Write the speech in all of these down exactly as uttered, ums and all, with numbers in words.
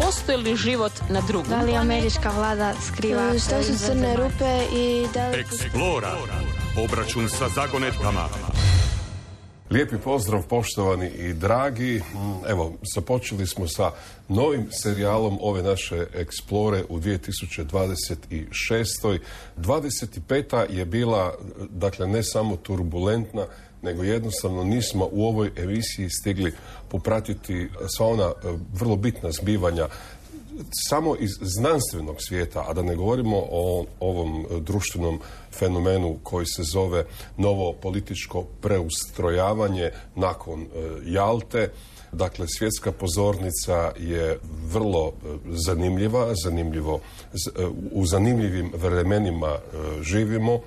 postoji li život na drugom? Da li američka vlada skriva? Što su crne rupe i da li... Eksplora. Obračun sa zagonetkama. Lijepi pozdrav, poštovani i dragi. Evo, započeli smo sa novim serijalom ove naše Explore u dvije tisuće dvadeset šestoj. dvadeset peta je bila, dakle, ne samo turbulentna, nego jednostavno nismo u ovoj emisiji stigli popratiti sva ona vrlo bitna zbivanja samo iz znanstvenog svijeta, a da ne govorimo o ovom društvenom fenomenu koji se zove novo političko preustrojavanje nakon Jalte. Dakle, svjetska pozornica je vrlo zanimljiva, zanimljivo, u zanimljivim vremenima živimo.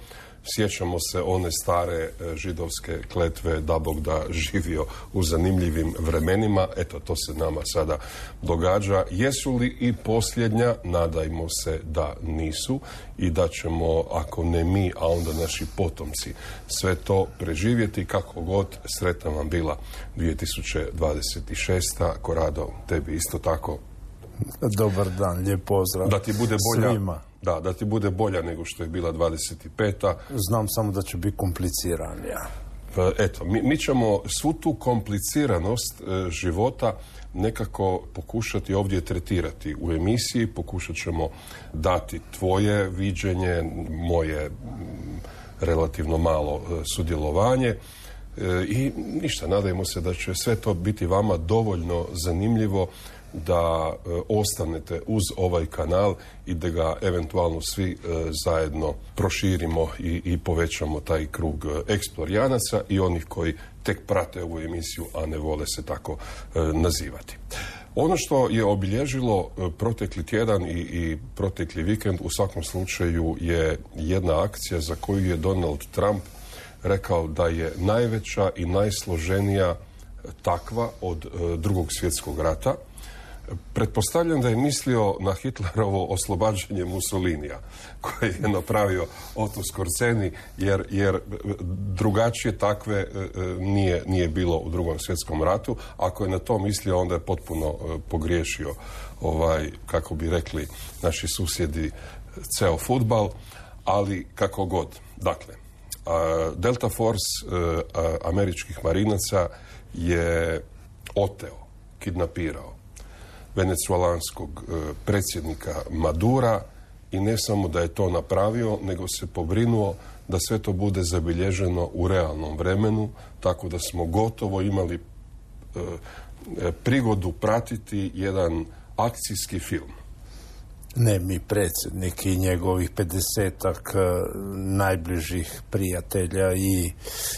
Sjećamo se one stare židovske kletve da Bog da živio u zanimljivim vremenima. Eto, to se nama sada događa. Jesu li i posljednja? Nadajmo se da nisu i da ćemo, ako ne mi, a onda naši potomci, sve to preživjeti. Kako god, sretna vam bila dvije tisuće dvadeset šesta. Korado, tebi isto tako. Dobar dan, lijep pozdrav. Da ti bude bolja. Svima. Da, da ti bude bolja nego što je bila dvadeset peta. Znam samo da će biti kompliciranija. Eto, mi, mi ćemo svu tu kompliciranost e, života nekako pokušati ovdje tretirati u emisiji. Pokušat ćemo dati tvoje viđenje, moje m, relativno malo e, sudjelovanje. E, I ništa, nadajmo se da će sve to biti vama dovoljno zanimljivo da e, ostanete uz ovaj kanal i da ga eventualno svi e, zajedno proširimo i, i povećamo taj krug e, eksplorijanaca i onih koji tek prate ovu emisiju, a ne vole se tako e, nazivati. Ono što je obilježilo e, protekli tjedan i, i protekli vikend u svakom slučaju je jedna akcija za koju je Donald Trump rekao da je najveća i najsloženija takva od e, drugog svjetskog rata. Pretpostavljam da je mislio na Hitlerovo oslobađanje Mussolinija koje je napravio Otto Skorzeny, jer, jer drugačije takve e, nije, nije bilo u drugom svjetskom ratu. Ako je na to mislio, onda je potpuno e, pogriješio, ovaj, kako bi rekli naši susjedi, ceo fudbal, ali kako god. Dakle, a, Delta Force e, a, američkih marinaca je oteo, kidnapirao venecuelanskog e, predsjednika Madura i ne samo da je to napravio, nego se pobrinuo da sve to bude zabilježeno u realnom vremenu, tako da smo gotovo imali e, e, prigodu pratiti jedan akcijski film. Ne mi, predsjednik i njegovih pedesetak najbližih prijatelja i,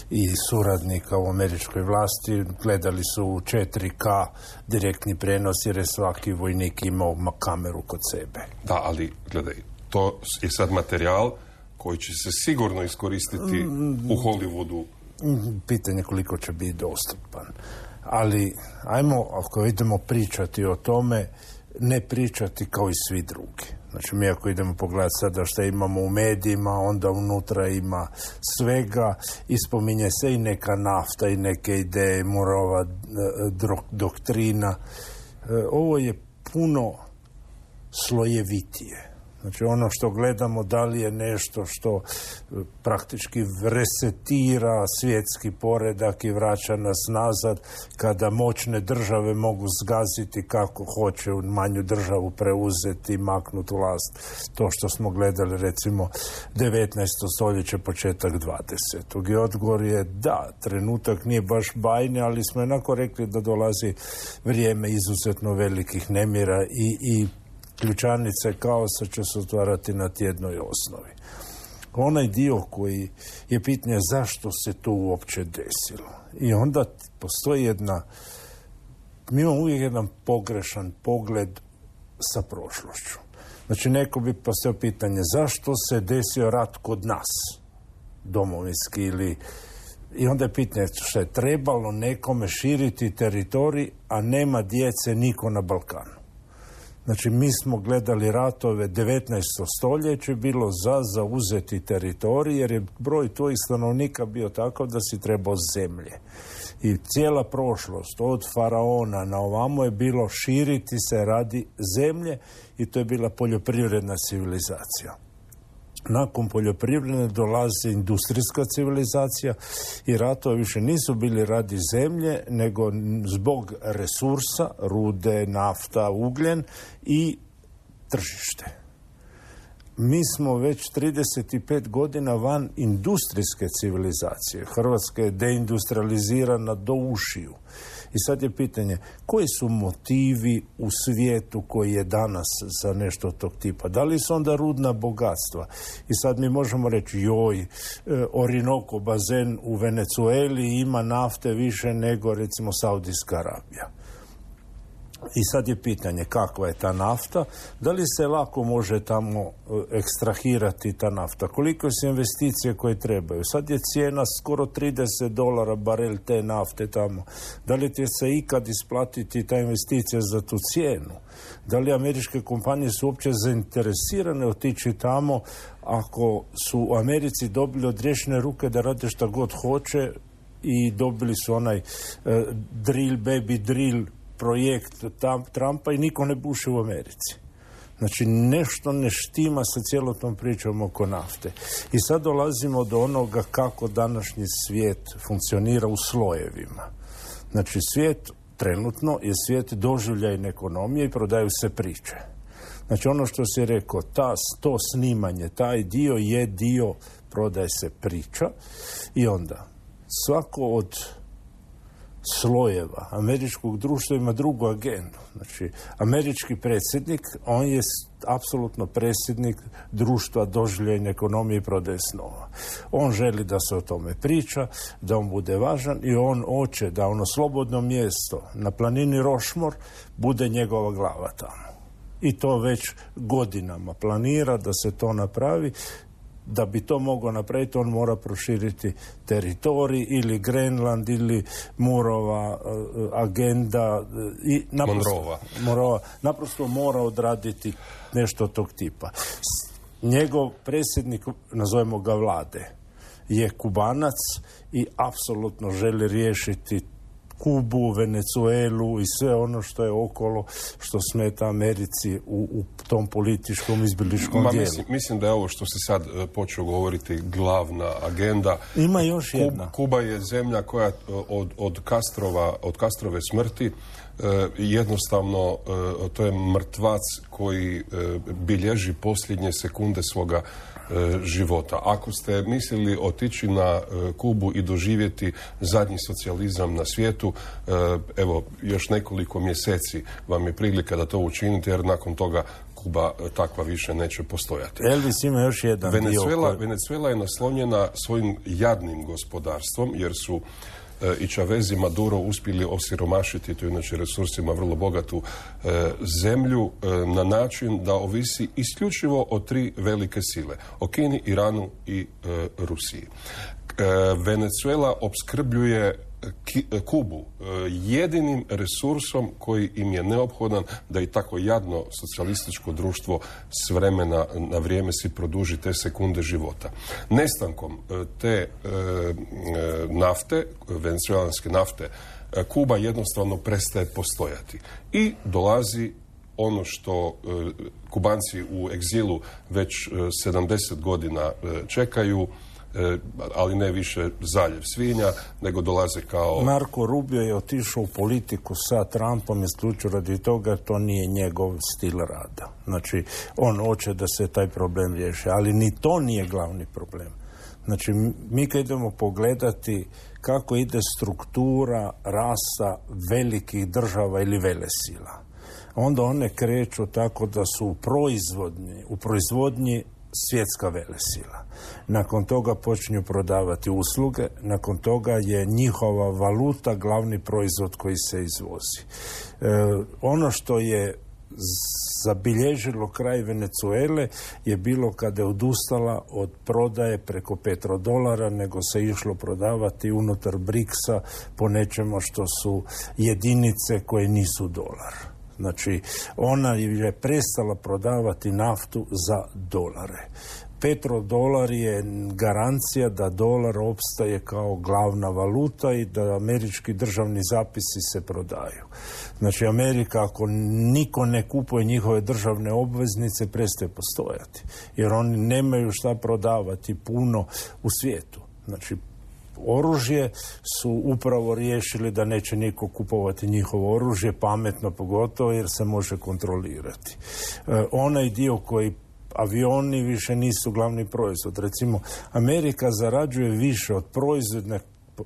i suradnika u američkoj vlasti gledali su u četiri ka direktni prenos jer je svaki vojnik imao kameru kod sebe. Da, ali gledaj, to je sad materijal koji će se sigurno iskoristiti mm, u Hollywoodu. Pitanje koliko će biti dostupan. Ali, ajmo, ako idemo pričati o tome, ne pričati kao i svi drugi. Znači, mi ako idemo pogledati sada što imamo u medijima, onda unutra ima svega, ispominje se i neka nafta i neke ideje, morova doktrina. Ovo je puno slojevitije. Znači, ono što gledamo, da li je nešto što praktički resetira svjetski poredak i vraća nas nazad, kada moćne države mogu zgaziti kako hoće u manju državu preuzeti i maknuti vlast. To što smo gledali, recimo, devetnaesto stoljeće, početak dvadesetog. I odgovor je da, trenutak nije baš bajni, ali smo jednako rekli da dolazi vrijeme izuzetno velikih nemira i, i ključanice kaosa će se otvarati na tjednoj osnovi. Onaj dio koji je pitanje zašto se to uopće desilo. I onda postoji jedna, mi imamo uvijek jedan pogrešan pogled sa prošlošću. Znači, neko bi postavio pitanje zašto se desio rat kod nas, domovinski, ili i onda je pitanje što je trebalo nekome širiti teritorij, a nema djece niko na Balkanu. Znači, mi smo gledali ratove devetnaesto stoljeće, bilo za zauzeti teritorij, jer je broj tvojih stanovnika bio takav da si trebao zemlje. I cijela prošlost, od faraona na ovamo je bilo širiti se radi zemlje i to je bila poljoprivredna civilizacija. Nakon poljoprivredne dolazi industrijska civilizacija i ratovi više nisu bili radi zemlje, nego zbog resursa, rude, nafta, ugljen i tržište. Mi smo već trideset pet godina van industrijske civilizacije. Hrvatska je deindustrializirana do ušiju. I sad je pitanje, koji su motivi u svijetu koji je danas za nešto tog tipa? Da li su onda rudna bogatstva? I sad mi možemo reći, joj, Orinoco bazen u Venezueli ima nafte više nego, recimo, Saudijska Arabija. I sad je pitanje kakva je ta nafta, da li se lako može tamo ekstrahirati ta nafta, koliko su investicije koje trebaju. Sad je cijena skoro trideset dolara barel te nafte tamo. Da li će se ikad isplatiti ta investicija za tu cijenu? Da li američke kompanije su uopće zainteresirane otići tamo ako su u Americi dobili odriješene ruke da rade šta god hoće i dobili su onaj uh, drill baby drill projekt Trumpa i niko ne buši u Americi. Znači, nešto ne štima sa cijelom tom pričom oko nafte. I sad dolazimo do onoga kako današnji svijet funkcionira u slojevima. Znači, svijet trenutno je svijet doživljajne ekonomije i prodaju se priče. Znači, ono što si rekao, ta, to snimanje, taj dio je dio, prodaje se priča i onda svako od slojeva američkog društva ima drugu agendu. Znači, američki predsjednik, on je apsolutno predsjednik društva doživljajne ekonomije i prodaje snova. On želi da se o tome priča, da on bude važan i on hoće da ono slobodno mjesto na planini Rošmor bude njegova glava tamo. I to već godinama planira da se to napravi. Da bi to mogao napraviti, on mora proširiti teritorij ili Grenland ili Murova uh, agenda uh, i naprosto, Monrova. Monrova naprosto mora odraditi nešto tog tipa. Njegov predsjednik, nazovemo ga vlade, je Kubanac i apsolutno želi riješiti Kubu, Venezuelu i sve ono što je okolo, što smeta Americi u, u tom političkom izbiličkom Ma, dijelu. Mislim, mislim da je ovo što se sad uh, počeo govoriti glavna agenda. Ima još jedna. Kub, Kuba je zemlja koja od, od, Castrova, od Castrove smrti uh, jednostavno uh, to je mrtvac koji uh, bilježi posljednje sekunde svoga života. Ako ste mislili otići na Kubu i doživjeti zadnji socijalizam na svijetu, evo, još nekoliko mjeseci vam je prilika da to učinite, jer nakon toga Kuba takva više neće postojati. Elvis ima još jedan Venezuela, dio. Venezuela je naslonjena svojim jadnim gospodarstvom, jer su i Chavez i Maduro uspjeli osiromašiti, to je inače resursima vrlo bogatu e, zemlju e, na način da ovisi isključivo o tri velike sile, o Kini, Iranu i e, Rusiji. E, Venezuela opskrbljuje Ki, Kubu e, jedinim resursom koji im je neophodan da i tako jadno socijalističko društvo s vremena na vrijeme si produži te sekunde života. Nestankom e, te e, nafte, venezuelanske nafte, e, Kuba jednostavno prestaje postojati i dolazi ono što e, Kubanci u egzilu već e, sedamdeset godina e, čekaju, ali ne više zaljev svinja, nego dolaze kao... Marko Rubio je otišao u politiku sa Trumpom isključivo radi toga, jer to nije njegov stil rada. Znači, on hoće da se taj problem riješi, ali ni to nije glavni problem. Znači, mi kad idemo pogledati kako ide struktura rasa velikih država ili velesila, onda one kreću tako da su u proizvodnji, u proizvodnji svjetska velesila. Nakon toga počinju prodavati usluge, nakon toga je njihova valuta glavni proizvod koji se izvozi. E, ono što je zabilježilo kraj Venezuele je bilo kada je odustala od prodaje preko petrodolara, nego se išlo prodavati unutar briksa po nečemu što su jedinice koje nisu dolar. Znači, ona je prestala prodavati naftu za dolare. Petrodolar je garancija da dolar opstaje kao glavna valuta i da američki državni zapisi se prodaju. Znači, Amerika, ako niko ne kupuje njihove državne obveznice, prestaje postojati. Jer oni nemaju šta prodavati puno u svijetu. Znači, oružje su upravo riješili da neće niko kupovati njihovo oružje, pametno pogotovo jer se može kontrolirati. E, onaj dio koji avioni više nisu glavni proizvod. Recimo, Amerika zarađuje više od proizvodne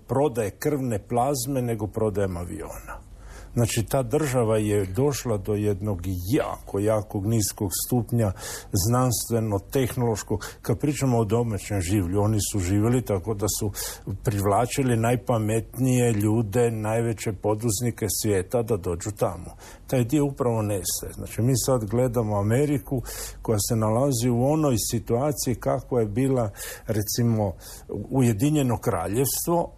prodaje krvne plazme nego prodajem aviona. Znači, ta država je došla do jednog jako, jakog niskog stupnja znanstveno-tehnološkog. Kad pričamo o domaćem življu, oni su živjeli tako da su privlačili najpametnije ljude, najveće poduzetnike svijeta da dođu tamo. Taj dio upravo nestaje. Znači, mi sad gledamo Ameriku koja se nalazi u onoj situaciji kakva je bila, recimo, Ujedinjeno kraljevstvo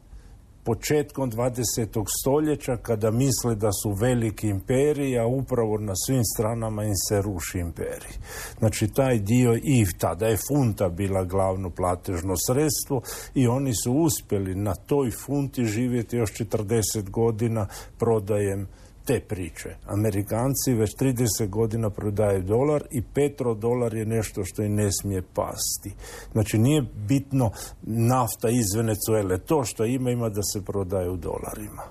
početkom dvadesetog stoljeća, kada misle da su veliki imperiji, a upravo na svim stranama im se ruši imperij. Znači, taj dio, i tada je funta bila glavno platežno sredstvo i oni su uspjeli na toj funti živjeti još četrdeset godina prodajem te priče. Amerikanci već trideset godina prodaju dolar i petrodolar je nešto što i ne smije pasti. Znači, nije bitno nafta iz Venezuele. To što ima, ima da se prodaju dolarima.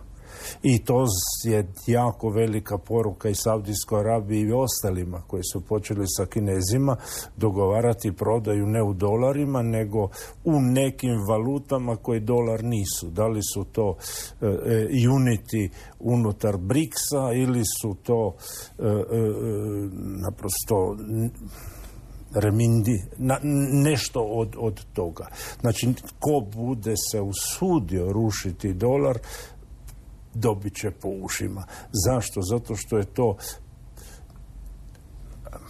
I to je jako velika poruka i Saudijskoj Arabiji i ostalima koji su počeli sa Kinezima dogovarati prodaju ne u dolarima nego u nekim valutama koji dolar nisu. Da li su to e, unity unutar briksa ili su to e, e, naprosto remindi, na, nešto od, od toga. Znači, ko bude se usudio rušiti dolar, dobit će po ušima. Zašto? Zato što je to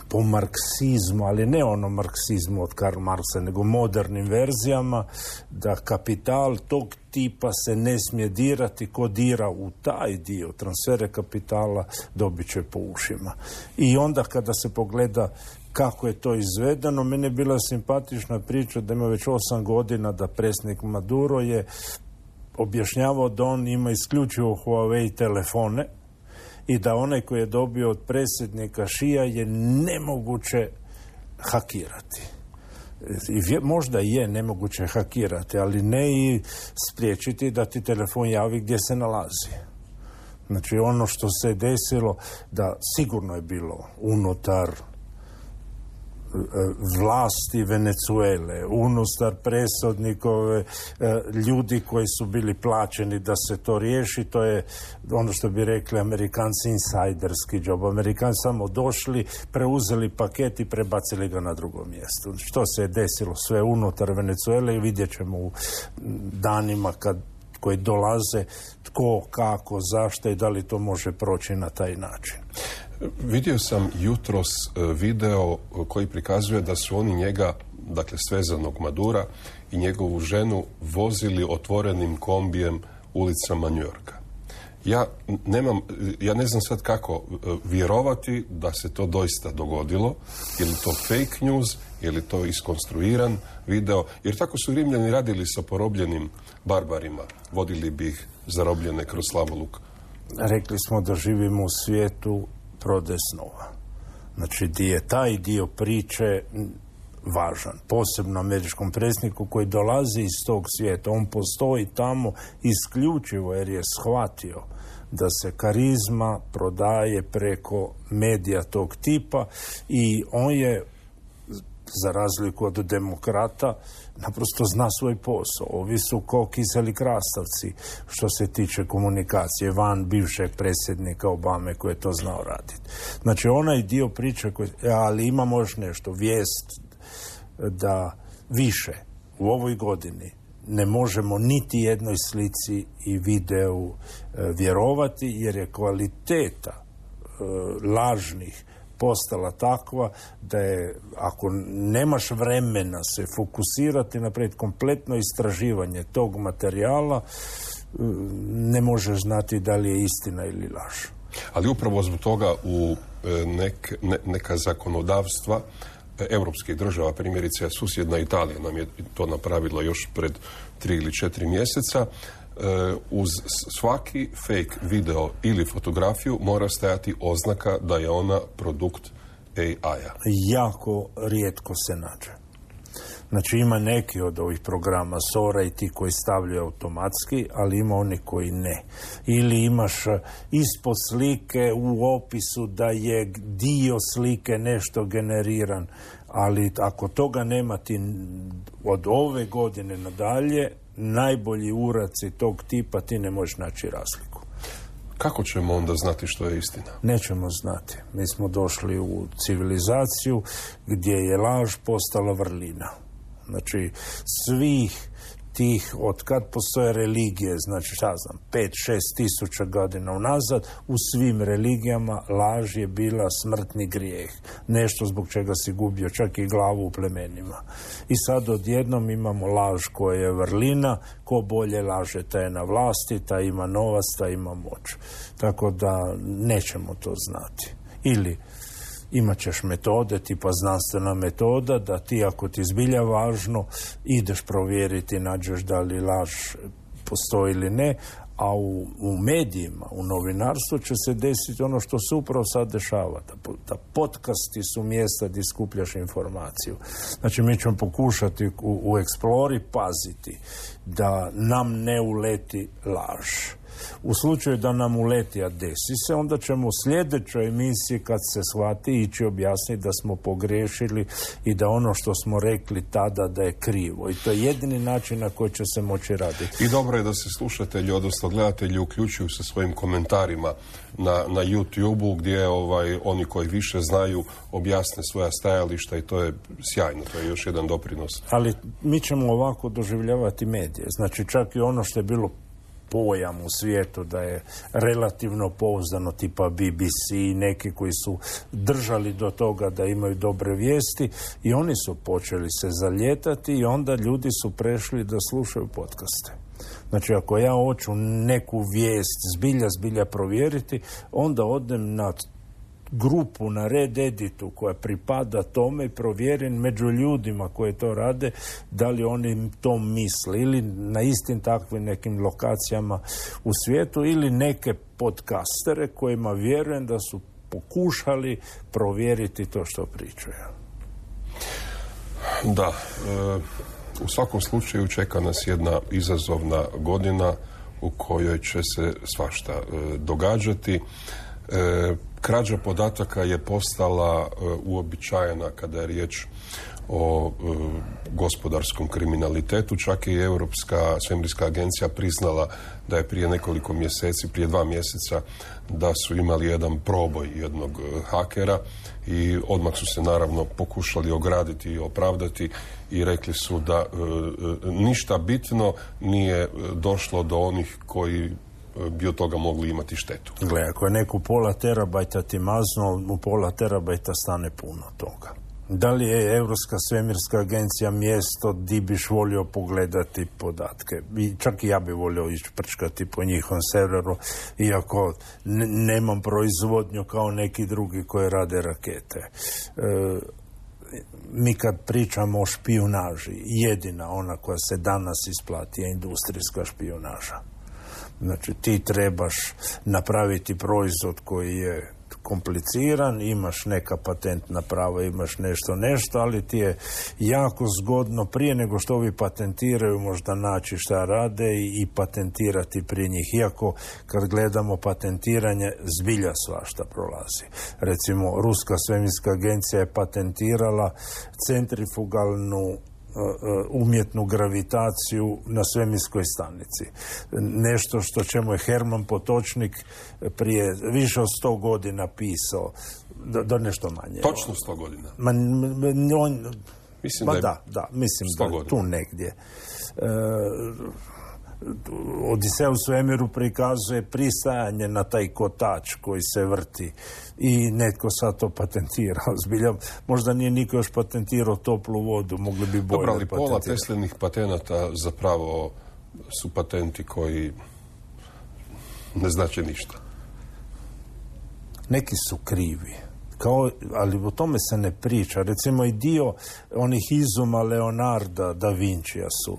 po marksizmu, ali ne ono marksizmu od Karl Marksa, nego modernim verzijama, da kapital tog tipa se ne smije dirati. Ko dira u taj dio transfere kapitala, dobit će po ušima. I onda kada se pogleda kako je to izvedeno, meni je bila simpatična priča da ima već osam godina da predsjednik Maduro je objašnjavao da on ima isključivo Huawei telefone i da onaj koji je dobio od predsjednika Šija je nemoguće hakirati. I možda je nemoguće hakirati, ali ne i spriječiti da ti telefon javi gdje se nalazi. Znači, ono što se desilo, da sigurno je bilo unutar vlasti Venezuele, unutar presudnikove, ljudi koji su bili plaćeni da se to riješi. To je ono što bi rekli Amerikanci insajderski job. Amerikanci samo došli, preuzeli paket i prebacili ga na drugo mjesto. Što se je desilo sve unutar Venezuele i vidjet ćemo u danima kad koji dolaze tko, kako, zašto i da li to može proći na taj način. Vidio sam jutros video koji prikazuje da su oni njega, dakle svezanog Madura i njegovu ženu vozili otvorenim kombijem ulicama New Yorka. Ja nemam, ja ne znam sad kako vjerovati da se to doista dogodilo. Je li to fake news, je li to iskonstruiran video? Jer tako su Rimljani radili sa porobljenim barbarima. Vodili bi ih zarobljene kroz slavoluk. Rekli smo da živimo u svijetu prodaje snova. Znači, di je taj dio priče važan, posebno američkom predsjedniku koji dolazi iz tog svijeta. On postoji tamo isključivo jer je shvatio da se karizma prodaje preko medija tog tipa i on je, za razliku od demokrata, naprosto zna svoj posao. Ovi su ko kiseli krastavci što se tiče komunikacije van bivšeg predsjednika Obame koji je to znao raditi. Znači, onaj dio priče koji, ali imamo još nešto, vijest da više u ovoj godini ne možemo niti jednoj slici i videu e, vjerovati jer je kvaliteta e, lažnih postala takva da je, ako nemaš vremena se fokusirati napraviti kompletno istraživanje tog materijala, ne možeš znati da li je istina ili laž. Ali upravo zbog toga u nek, ne, neka zakonodavstva europskih država, primjerice susjedna Italija nam je to napravila još pred tri ili četiri mjeseca, uz svaki fake video ili fotografiju mora stajati oznaka da je ona produkt A I-a. Jako rijetko se nađe. Znači ima neki od ovih programa Sora i ti koji stavljaju automatski, ali ima oni koji ne. Ili imaš ispod slike u opisu da je dio slike nešto generiran, ali ako toga nema ti od ove godine nadalje, najbolji uraci tog tipa ti ne možeš naći razliku. Kako ćemo onda znati što je istina? Nećemo znati. Mi smo došli u civilizaciju gdje je laž postala vrlina. Znači, svih tih, od kad postoje religije, znači, šta znam, pet, šest tisuća godina unazad, u svim religijama laž je bila smrtni grijeh. Nešto zbog čega si gubio čak i glavu u plemenima. I sad odjednom imamo laž koja je vrlina, ko bolje laže, taj je na vlasti, taj ima novac, taj ima moć. Tako da nećemo to znati. Ili imat ćeš metode, tipa znanstvena metoda, da ti ako ti zbilja važno, ideš provjeriti, nađeš da li laž postoji ili ne, a u, u medijima, u novinarstvu će se desiti ono što se upravo sad dešava. Da, da podcasti su mjesta gdje skupljaš informaciju. Znači mi ćemo pokušati u, u Explori paziti da nam ne uleti laž. U slučaju da nam uleti, a desi se, onda ćemo u sljedećoj emisiji, kad se shvati, ići objasniti da smo pogriješili i da ono što smo rekli tada da je krivo. I to je jedini način na koji će se moći raditi. I dobro je da se slušatelji, odnosno gledatelji, uključuju sa svojim komentarima na, na YouTube-u, gdje ovaj, oni koji više znaju objasne svoja stajališta i to je sjajno, to je još jedan doprinos. Ali mi ćemo ovako doživljavati medije. Znači čak i ono što je bilo pojam u svijetu da je relativno pouzdano, tipa B B C, neki koji su držali do toga da imaju dobre vijesti, i oni su počeli se zaljetati i onda ljudi su prešli da slušaju podcaste. Znači ako ja hoću neku vijest zbilja, zbilja provjeriti, onda odem na grupu na Red Editu koja pripada tome i provjerim među ljudima koji to rade da li oni to misle, ili na istim takvim nekim lokacijama u svijetu, ili neke podcastere kojima vjerujem da su pokušali provjeriti to što pričaju. Da, e, u svakom slučaju čeka nas jedna izazovna godina u kojoj će se svašta e, događati. E, krađa podataka je postala e, uobičajena kada je riječ o e, gospodarskom kriminalitetu. Čak i Europska svemirska agencija priznala da je prije nekoliko mjeseci, prije dva mjeseca, da su imali jedan proboj jednog e, hakera i odmah su se naravno pokušali ograditi i opravdati i rekli su da e, e, ništa bitno nije došlo do onih koji bi od toga mogli imati štetu. Gle, ako je neku pola terabajta ti mazno, u pola terabajta stane puno toga. Da li je Europska svemirska agencija mjesto di biš volio pogledati podatke? I čak i ja bi volio ići prčkati po njihovom serveru, iako n- nemam proizvodnju kao neki drugi koji rade rakete. E, mi kad pričamo o špijunaži, jedina ona koja se danas isplati je industrijska špijunaža. Znači ti trebaš napraviti proizvod koji je kompliciran, imaš neka patentna prava, imaš nešto, nešto, ali ti je jako zgodno prije nego što ovi patentiraju možda naći šta rade i, i patentirati prije njih. Iako kad gledamo patentiranje, zbilja svašta prolazi. Recimo, Ruska svemirska agencija je patentirala centrifugalnu umjetnu gravitaciju na svemirskoj stanici. Nešto što čemu je Herman Potočnik prije više od sto godina pisao, do, do nešto manje. Točno sto godina? Ma, on, mislim ma da, je da, da, mislim da je tu negdje. E, Odiseja u svemiru prikazuje pristajanje na taj kotač koji se vrti i netko sad to patentirao. Zbilja, možda nije niko još patentirao toplu vodu, mogli bi bolje patentirati. Dobro, ali pola Teslinih patenata zapravo su patenti koji ne znače ništa. Neki su krivi. kao, ali o tome se ne priča. Recimo i dio onih izuma Leonarda da Vincija su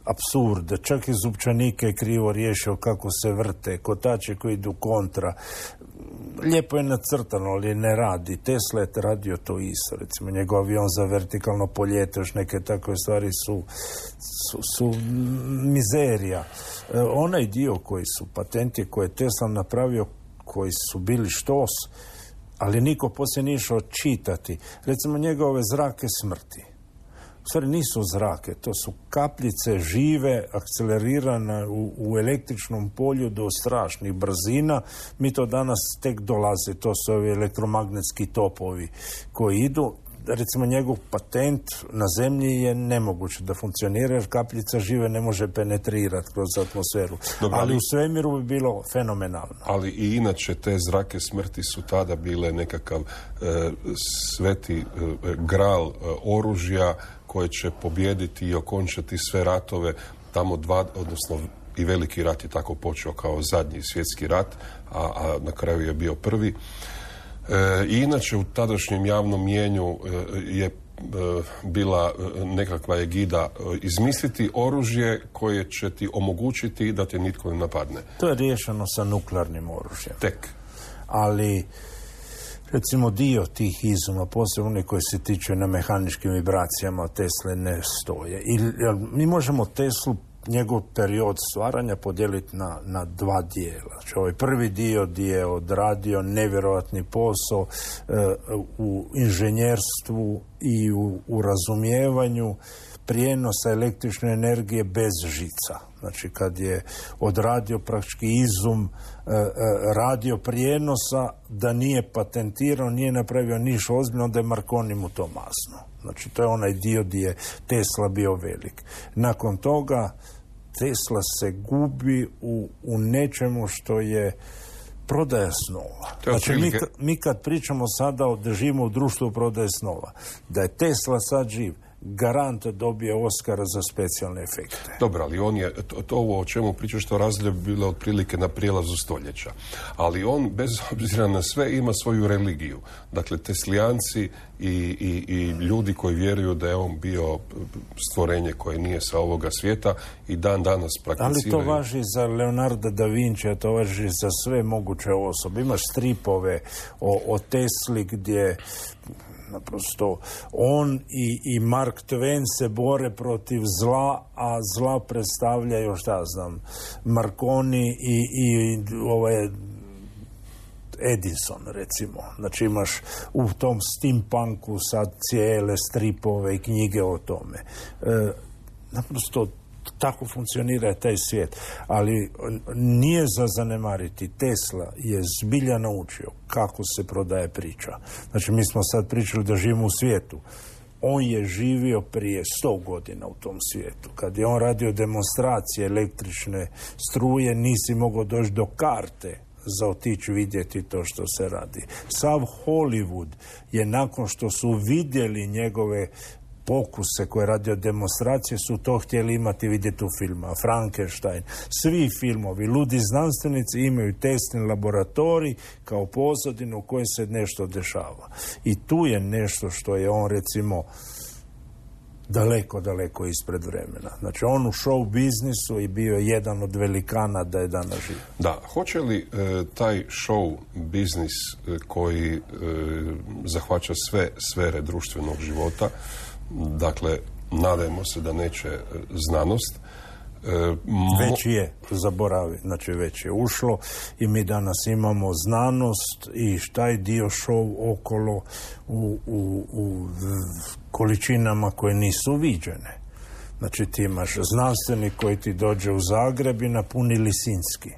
apsurde, čak i zupčanike je krivo riješio kako se vrte, kotače koji idu kontra. Lijepo je nacrtano, ali ne radi. Tesla je radio to isto. Recimo, njegov avion za vertikalno poljete, još neke takve stvari su, su, su mizerija. E, onaj dio koji su patenti koje je Tesla napravio, koji su bili štos, ali niko poslije nije išao čitati. Recimo, njegove zrake smrti. U stvari nisu zrake, to su kapljice žive, akcelerirane u, u električnom polju do strašnih brzina. Mi to danas tek dolaze, to su ovi elektromagnetski topovi koji idu. Recimo, njegov patent na zemlji je nemoguće da funkcionira, jer kapljica žive ne može penetrirati kroz atmosferu. Dobre, ali, ali u svemiru bi bilo fenomenalno. Ali i inače te zrake smrti su tada bile nekakav e, sveti e, gral e, oružja koje će pobijediti i okončati sve ratove. Tamo dva, odnosno i veliki rat je tako počeo kao zadnji svjetski rat, a, a na kraju je bio prvi. E, I inače u tadašnjem javnom mijenju e, je e, bila nekakva egida e, izmisliti oružje koje će ti omogućiti da te nitko ne napadne. To je riješeno sa nuklearnim oružjem. Tek. Ali recimo dio tih izuma, posebno oni koji se tiču na mehaničkim vibracijama, Tesle ne stoje. I, mi možemo Teslu, njegov period stvaranja podijeliti na, na dva dijela. Znači, ovaj prvi dio gdje je odradio nevjerojatni posao e, u inženjerstvu i u, u razumijevanju prijenosa električne energije bez žica. Znači, kad je odradio praktički izum e, e, radio prijenosa, da nije patentirao, nije napravio niš ozbiljno, da je Marconi mu to masno. Znači, to je onaj dio gdje je Tesla bio velik. Nakon toga Tesla se gubi u, u nečemu što je prodaja snova. Znači, mi, mi kad pričamo sada o da živimo u društvu prodaje snova, da je Tesla sad živ, garant dobije Oscara za specijalne efekte. Dobro, ali on je, to, to ovo o čemu pričaš, to razdoblje bilo otprilike na prijelazu stoljeća. Ali on, bez obzira na sve, ima svoju religiju. Dakle, teslijanci i, i, i ljudi koji vjeruju da je on bio stvorenje koje nije sa ovoga svijeta i dan danas prakticiraju. Ali to važi za Leonarda da Vincija, to važi za sve moguće osobe. Imaš stripove o, o Tesli gdje naprosto on i, i Mark Twain se bore protiv zla, a zla predstavljaju, šta znam, Marconi i, i ovaj Edison, recimo. Znači, imaš u tom steampunku sad cijele stripove i knjige o tome. E, naprosto tako funkcionira taj svijet. Ali nije za zanemariti. Tesla je zbilja naučio kako se prodaje priča. Znači, mi smo sad pričali da živimo u svijetu. On je živio prije sto godina u tom svijetu. Kad je on radio demonstracije električne struje, nisi mogao doći do karte za otići vidjeti to što se radi. Sav Hollywood je, nakon što su vidjeli njegove pokuse koje je radio demonstracije, su to htjeli imati vidjeti u filmu. Frankenstein, svi filmovi, ludi znanstvenici imaju testni laboratorij kao pozadinu u kojoj se nešto dešava. I tu je nešto što je on, recimo, daleko, daleko ispred vremena. Znači, on u show biznisu i bio jedan od velikana da je danas živ. Da, hoće li e, taj show biznis e, koji e, zahvaća sve sfere društvenog života, dakle, nadajmo se da neće e, znanost, e, mo- već je, zaboravi, znači već je ušlo i mi danas imamo znanost i taj dio show okolo u, u, u količinama koje nisu viđene. Znači, ti imaš znanstvenik koji ti dođe u Zagreb i napuni Lisinski.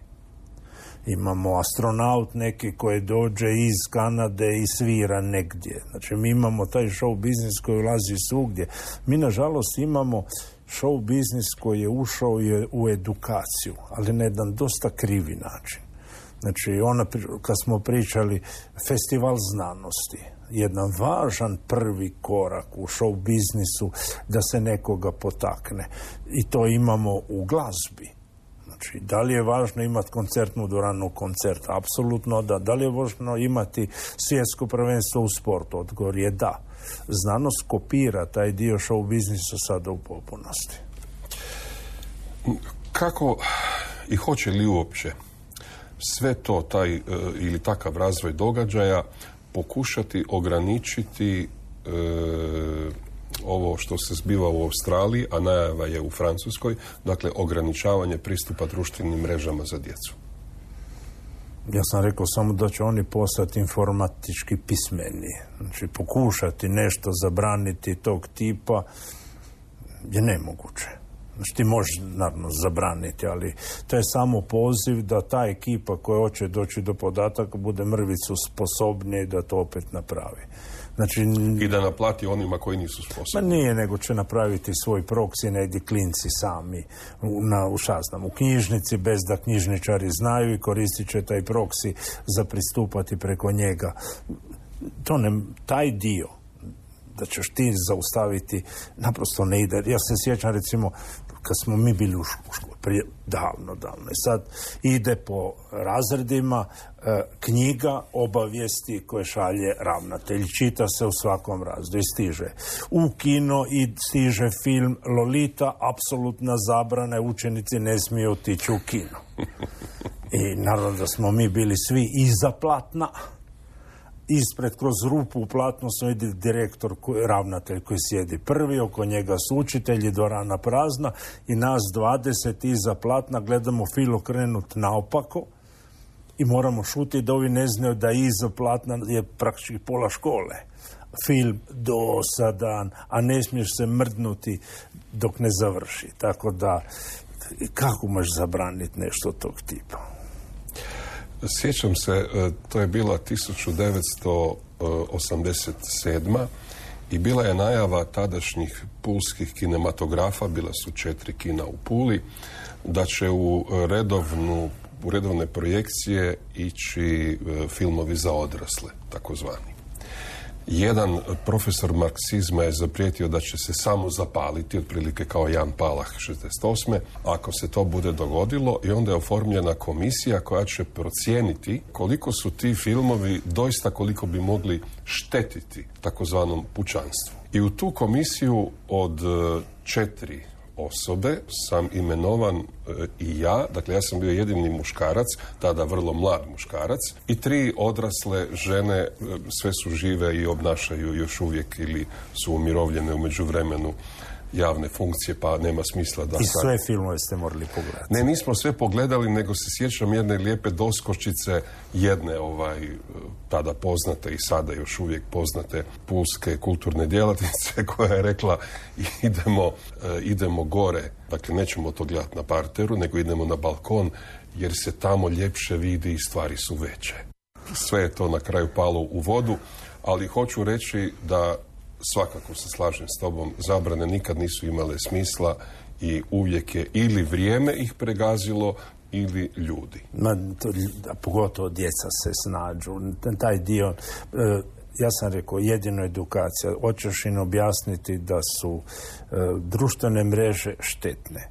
Imamo astronaut neki koji dođe iz Kanade i svira negdje. Znači, mi imamo taj show biznis koji ulazi svugdje. Mi, nažalost, imamo show biznis koji je ušao u edukaciju, ali na jedan dosta krivi način. Znači, ona, kad smo pričali festival znanosti, jedan važan prvi korak u show biznisu da se nekoga potakne. I to imamo u glazbi. Znači, da li je važno imati koncertnu dvoranu, koncert? Apsolutno da. Da li je važno imati svjetsko prvenstvo u sportu? Odgovor je da. Znanost kopira taj dio show biznisa sada u potpunosti. Kako i hoće li uopće sve to, taj e, ili takav razvoj događaja pokušati ograničiti e, ovo što se zbiva u Australiji, a najava je u Francuskoj, dakle ograničavanje pristupa društvenim mrežama za djecu? Ja sam rekao samo da će oni postati informatički pismeni. Znači, pokušati nešto zabraniti tog tipa je nemoguće. Znači, ti možeš, naravno, zabraniti, ali to je samo poziv da ta ekipa koja hoće doći do podataka bude mrvicu sposobnije i da to opet napravi. Znači, i da naplati onima koji nisu sposobni. Ma nije, nego će napraviti svoj proksi, negdje klinci sami u, na, u, šaznam, u knjižnici, bez da knjižničari znaju, i koristit će taj proksi za pristupati preko njega. To ne, taj dio da ćeš ti zaustaviti naprosto ne ide. Ja se sjećam, recimo, kad smo mi bili u školi, prije davno, davno. I sad ide po razredima e, knjiga obavijesti koje šalje ravnatelj. Čita se u svakom razredu i stiže u kino i stiže film Lolita, apsolutna zabrana, učenici ne smiju otići u kino. I naravno da smo mi bili svi iza platna. Ispred, kroz rupu u platnu su ide direktor, ravnatelj koji sjedi prvi, oko njega su učitelji, dvorana prazna i nas dvadeset iza platna gledamo film okrenut naopako i moramo šutiti da ovi ne znaju da iza platna je praktički pola škole. Film dosadan, a ne smiješ se mrdnuti dok ne završi. Tako da, kako možeš zabraniti nešto tog tipa? Sjećam se, to je bila tisuću devetsto osamdeset sedma i bila je najava tadašnjih pulskih kinematografa, bila su četiri kina u Puli, da će u, redovnu, u redovne projekcije ići filmovi za odrasle, takozvani. Jedan profesor marksizma je zaprijetio da će se samo zapaliti, otprilike kao Jan Palach šezdeset osme ako se to bude dogodilo, i onda je oformljena komisija koja će procijeniti koliko su ti filmovi doista, koliko bi mogli štetiti takozvanom pučanstvu. I u tu komisiju od četiri osobe sam imenovan e, i ja, dakle ja sam bio jedini muškarac, tada vrlo mlad muškarac, i tri odrasle žene, e, sve su žive i obnašaju još uvijek ili su umirovljene u međuvremenu javne funkcije, pa nema smisla da... I sve filmove ste morali pogledati. Ne, nismo sve pogledali, nego se sjećam jedne lijepe doskočice jedne ovaj, tada poznate i sada još uvijek poznate pulske kulturne djelatnice koja je rekla idemo, idemo gore, dakle nećemo to gledati na parteru, nego idemo na balkon jer se tamo ljepše vidi i stvari su veće. Sve je to na kraju palo u vodu, ali hoću reći da svakako se slažem s tobom, zabrane nikad nisu imale smisla i uvijek je ili vrijeme ih pregazilo ili ljudi. Ma, to, a pogotovo djeca se snađu. Taj dio, e, ja sam rekao, jedino edukacija. Hoćeš im objasniti da su e, društvene mreže štetne.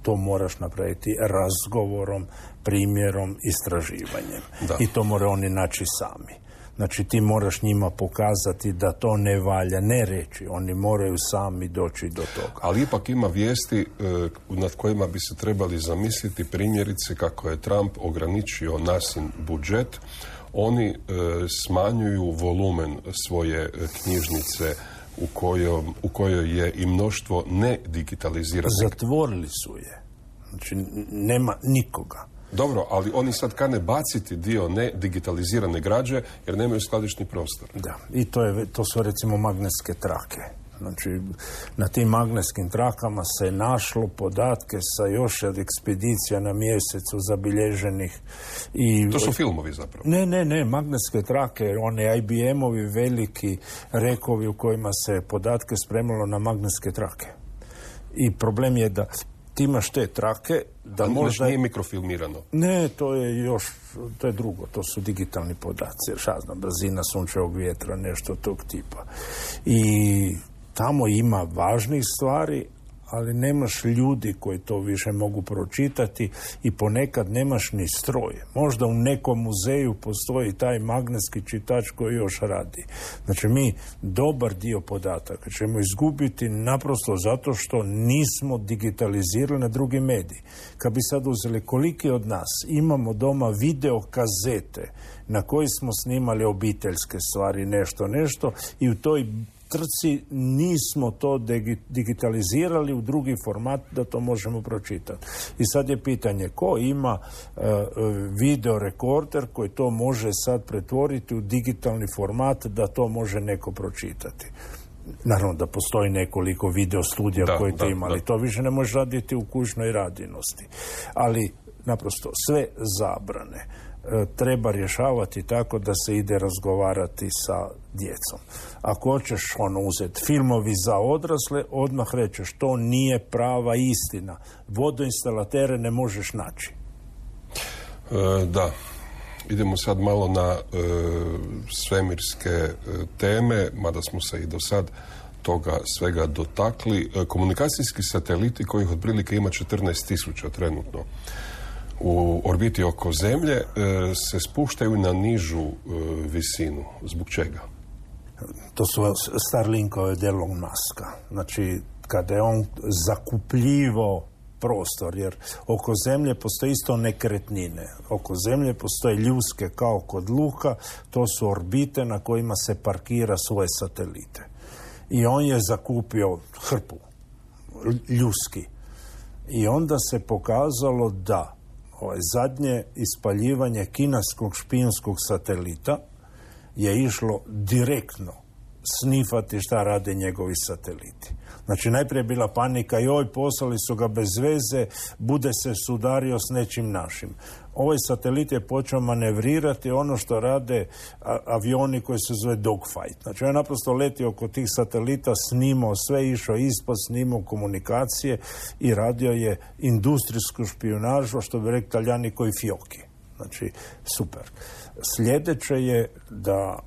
To moraš napraviti razgovorom, primjerom, istraživanjem. Da. I to moraju oni naći sami. Znači, ti moraš njima pokazati da to ne valja, ne reći. Oni moraju sami doći do toga. Ali ipak ima vijesti e, nad kojima bi se trebali zamisliti, primjerice kako je Trump ograničio nasin budžet. Oni e, smanjuju volumen svoje knjižnice u, kojom, u kojoj je i mnoštvo nedigitaliziranih. Zatvorili su je. Znači, nema nikoga. Dobro, ali oni sad kane baciti dio nedigitalizirane građe jer nemaju skladišni prostor. Da, i to, je, to su recimo magnetske trake. Znači, na tim magnetskim trakama se našlo podatke sa još od ekspedicija na mjesecu zabilježenih. I, to su filmovi zapravo? Ne, ne, ne, magnetske trake, one I B M-ovi veliki rekovi u kojima se podatke spremalo na magnetske trake. I problem je da ti imaš te trake, da ali možda... nije mikrofilmirano? Ne, to je još, to je drugo, to su digitalni podaci, šazna, brzina sunčevog vjetra, nešto tog tipa. I tamo ima važnih stvari, ali nemaš ljudi koji to više mogu pročitati i ponekad nemaš ni stroj. Možda u nekom muzeju postoji taj magnetski čitač koji još radi. Znači mi dobar dio podataka ćemo izgubiti naprosto zato što nismo digitalizirali na drugi mediji. Kad bi sad uzeli koliki od nas imamo doma video kazete na koji smo snimali obiteljske stvari, nešto, nešto i u toj trci nismo to digitalizirali u drugi format da to možemo pročitati. I sad je pitanje ko ima uh, video rekorder koji to može sad pretvoriti u digitalni format da to može neko pročitati. Naravno da postoji nekoliko video studija da, koji to da, imali. Da. To više ne može raditi u kućnoj radinosti. Ali naprosto sve zabrane treba rješavati tako da se ide razgovarati sa djecom. Ako hoćeš ono uzeti filmovi za odrasle, odmah rečeš to nije prava istina. Vodoinstalatere ne možeš naći. E, da. Idemo sad malo na e, svemirske e, teme, mada smo se i do sad toga svega dotakli. E, komunikacijski sateliti kojih otprilike ima četrnaest tisuća trenutno u orbiti oko Zemlje e, se spuštaju na nižu e, visinu. Zbog čega? To su Starlinkove od Elon Muska. Znači, kada je on zakupljivo prostor, jer oko Zemlje postoje isto nekretnine. Oko Zemlje postoje ljuske kao kod luka, to su orbite na kojima se parkira svoje satelite. I on je zakupio hrpu ljuski. I onda se pokazalo da ovaj zadnje ispaljivanje kineskog špijunskog satelita je išlo direktno snifati šta rade njegovi sateliti. Znači, najprije je bila panika, joj, poslali su ga bez veze, bude se sudario s nečim našim. Ovaj satelit je počeo manevrirati ono što rade a, avioni koji se zove dogfight. Znači, on je naprosto letio oko tih satelita, snimao sve, išao ispod, snimao komunikacije i radio je industrijsku špijunažu, što bi rekli Talijani, koji fioki. Znači, super. Sljedeće je da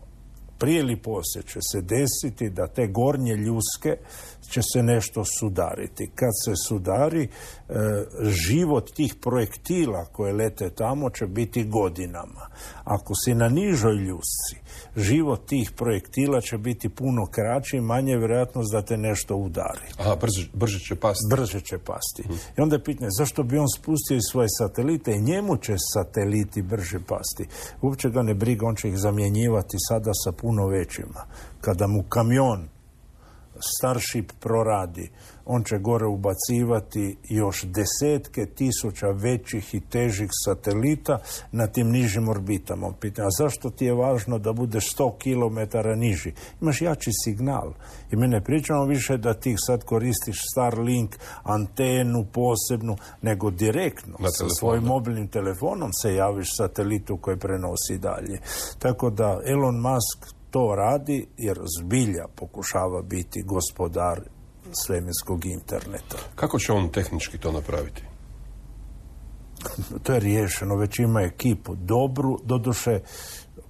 prije ili poslije će se desiti da te gornje ljuske će se nešto sudariti. Kad se sudari, e, život tih projektila koje lete tamo će biti godinama. Ako si na nižoj ljusci, život tih projektila će biti puno kraći i manje vjerojatnost da te nešto udari. Aha, brže, brže će pasti. Brže će pasti. Hmm. I onda je pitanje, zašto bi on spustio iz svoje satelite i njemu će sateliti brže pasti? Uopće ga ne briga, on će ih zamjenjivati sada sa puno većima. Kada mu kamion Starship proradi, on će gore ubacivati još desetke tisuća većih i težih satelita na tim nižim orbitama. Pitanje, a zašto ti je važno da budeš sto kilometara niži? Imaš jači signal. I mi ne pričamo više da ti sad koristiš Starlink, antenu posebnu, nego direktno sa svojim mobilnim telefonom se javiš satelitu koji prenosi dalje. Tako da Elon Musk to radi jer zbilja pokušava biti gospodar svemirskog interneta. Kako će on tehnički to napraviti? To je riješeno, već ima ekipu dobru, doduše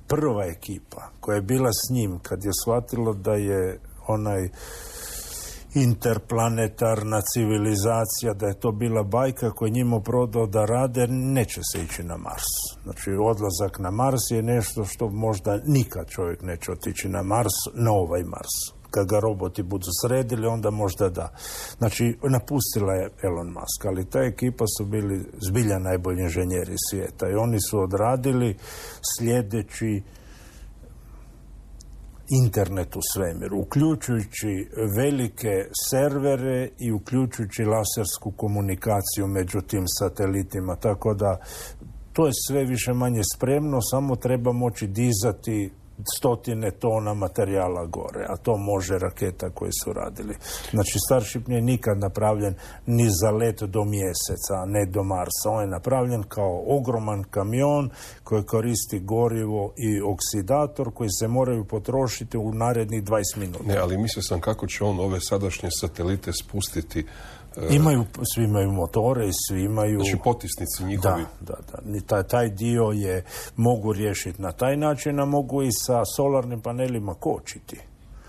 prva ekipa koja je bila s njim kad je shvatilo da je onaj interplanetarna civilizacija, da je to bila bajka koju je njima prodao da rade, neće se ići na Mars. Znači, odlazak na Mars je nešto što možda nikad čovjek neće otići na Mars, na ovaj Mars. Kad ga roboti budu sredili, onda možda da. Znači, napustila je Elon Musk, ali ta ekipa su bili zbilja najbolji inženjeri svijeta i oni su odradili sljedeći internet u svemiru, uključujući velike servere i uključujući lasersku komunikaciju među tim satelitima. Tako da to je sve više manje spremno, samo treba moći dizati stotine tona materijala gore, a to može raketa koje su radili. Znači, Starship nije nikad napravljen ni za let do mjeseca, a ne do Marsa. On je napravljen kao ogroman kamion koji koristi gorivo i oksidator koji se moraju potrošiti u narednih dvadeset minuta. Ne, ali mislio sam kako će on ove sadašnje satelite spustiti. Imaju, svi imaju motore i svi imaju... Znači potisnici njihovi. Da, da, da. Taj, taj dio je mogu riješiti na taj način, a mogu i sa solarnim panelima kočiti.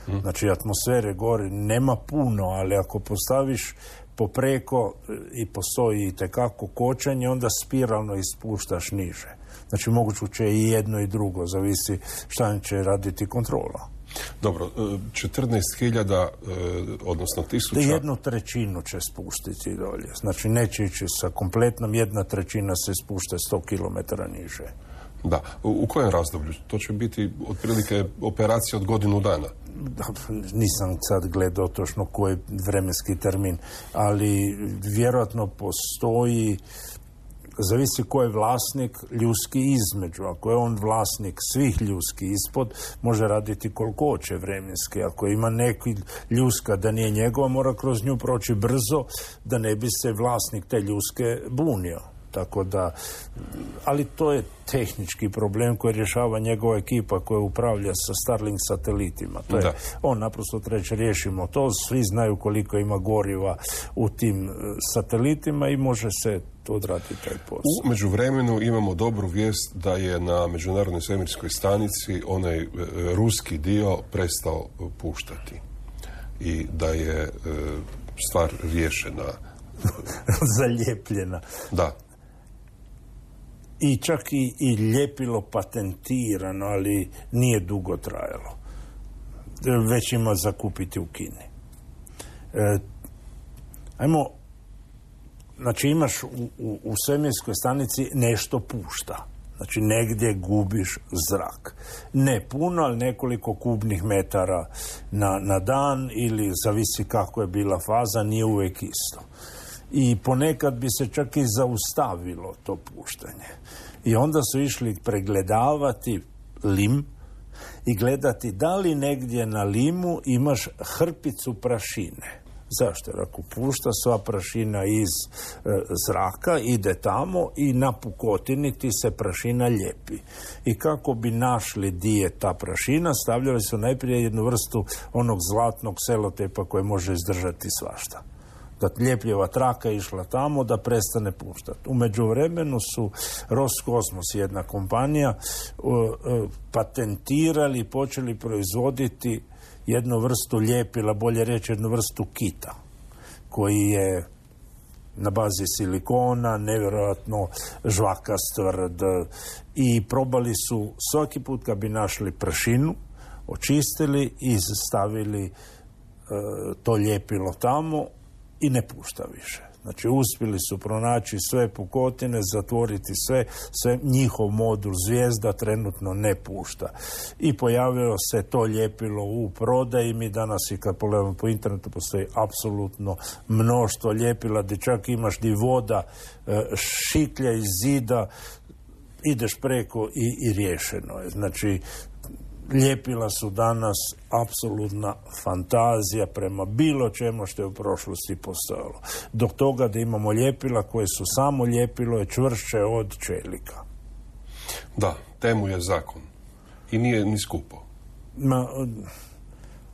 Hmm. Znači atmosfere gore nema puno, ali ako postaviš popreko i postoji itekako kočenje, onda spiralno ispuštaš niže. Znači moguće je i jedno i drugo, zavisi šta će raditi kontrola. Dobro, četrnaest hiljada, odnosno tisuća... Jednu trećinu će spustiti dolje. Znači neće ići sa kompletnom, jedna trećina se spušta sto kilometara niže. Da. U kojem razdoblju? To će biti otprilike operacija od godinu dana. Da, nisam sad gledao točno koji vremenski termin, ali vjerojatno postoji, zavisi ko je vlasnik ljudski između. Ako je on vlasnik svih ljudski ispod, može raditi koliko hoće vremenski. Ako ima neki ljuska da nije njegova, mora kroz nju proći brzo, da ne bi se vlasnik te ljuske bunio. Tako da, ali to je tehnički problem koji rješava njegova ekipa koja upravlja sa Starlink satelitima. To je, on naprosto treće riješimo to, svi znaju koliko ima goriva u tim satelitima i može se odraditi taj posao. U međuvremenu imamo dobru vijest da je na Međunarodnoj svemirskoj stanici onaj e, ruski dio prestao puštati i da je e, stvar riješena. Zalijepljena. Da. I čak i, i ljepilo patentirano, ali nije dugo trajalo. Već ima za kupiti u Kini. E, ajmo, znači imaš u, u, u svemirskoj stanici nešto pušta. Znači negdje gubiš zrak. Ne puno, ali nekoliko kubnih metara na, na dan ili zavisi kako je bila faza, nije uvijek isto. I ponekad bi se čak i zaustavilo to puštanje. I onda su išli pregledavati lim i gledati da li negdje na limu imaš hrpicu prašine. Zašto? Jer ako pušta sva prašina iz e, zraka, ide tamo i na pukotini ti se prašina ljepi. I kako bi našli di je ta prašina, stavljali su najprije jednu vrstu onog zlatnog selotepa koje može izdržati svašta. Da ljepljeva traka išla tamo da prestane puštati. U međuvremenu su Roskosmos, jedna kompanija, patentirali i počeli proizvoditi jednu vrstu ljepila, bolje reći jednu vrstu kita, koji je na bazi silikona, nevjerojatno žvakast, tvrd, i probali su svaki put kad bi našli prašinu, očistili i stavili e, to ljepilo tamo i ne pušta više. Znači, uspjeli su pronaći sve pukotine, zatvoriti sve, sve, njihov modul zvijezda trenutno ne pušta. I pojavilo se to ljepilo u prodaji. Mi danas i kad pogledamo po internetu postoji apsolutno mnoštvo ljepila, gdje čak imaš di voda, šiklja iz zida, ideš preko i, i riješeno je. Znači, ljepila su danas apsolutna fantazija prema bilo čemu što je u prošlosti postojalo. Do toga da imamo ljepila koje su samo ljepilo je čvršće od čelika. Da, temu je zakon. I nije ni skupo. Ma,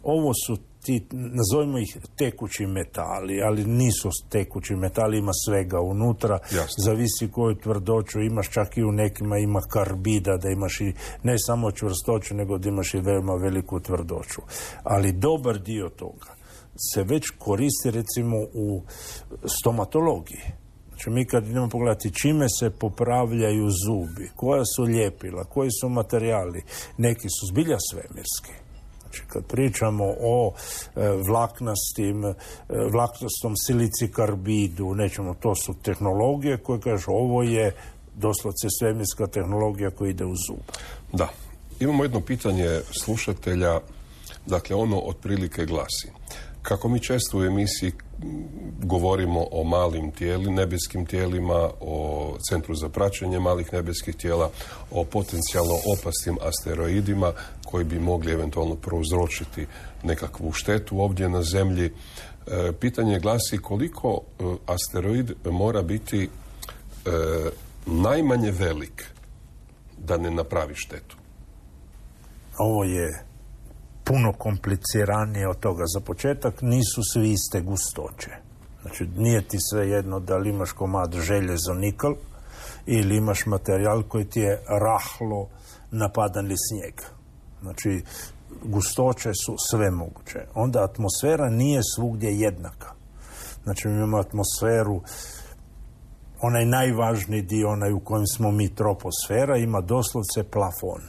ovo su ti, nazovimo ih tekući metali, ali nisu tekući metali, ima svega unutra. Jasno. Zavisi koju tvrdoću imaš, čak i u nekima ima karbida, da imaš i ne samo čvrstoću, nego da imaš i veoma veliku tvrdoću. Ali dobar dio toga se već koristi recimo u stomatologiji. Znači mi kad idemo pogledati čime se popravljaju zubi, koja su ljepila, koji su materijali, neki su zbilja svemirski. Znači, kad pričamo o e, vlaknastim, e, vlaknastom silicikarbidu, nećemo, to su tehnologije koje kažu ovo je doslovce svemirska tehnologija koja ide u zub. Da. Imamo jedno pitanje slušatelja, dakle ono otprilike glasi. Kako mi često u emisiji govorimo o malim tijeli, nebeskim tijelima, o centru za praćenje malih nebeskih tijela, o potencijalno opasnim asteroidima koji bi mogli eventualno prouzročiti nekakvu štetu ovdje na Zemlji. E, pitanje glasi koliko e, asteroid mora biti e, najmanje velik da ne napravi štetu? Ovo je puno kompliciranije od toga. Za početak nisu svi iste gustoće. Znači, nije ti sve jedno da li imaš komad željezo nikl ili imaš materijal koji ti je rahlo napadan li snijeg. Znači, gustoće su sve moguće. Onda atmosfera nije svugdje jednaka. Znači mi imamo atmosferu, onaj najvažniji dio, onaj u kojem smo mi troposfera, ima doslovce plafon.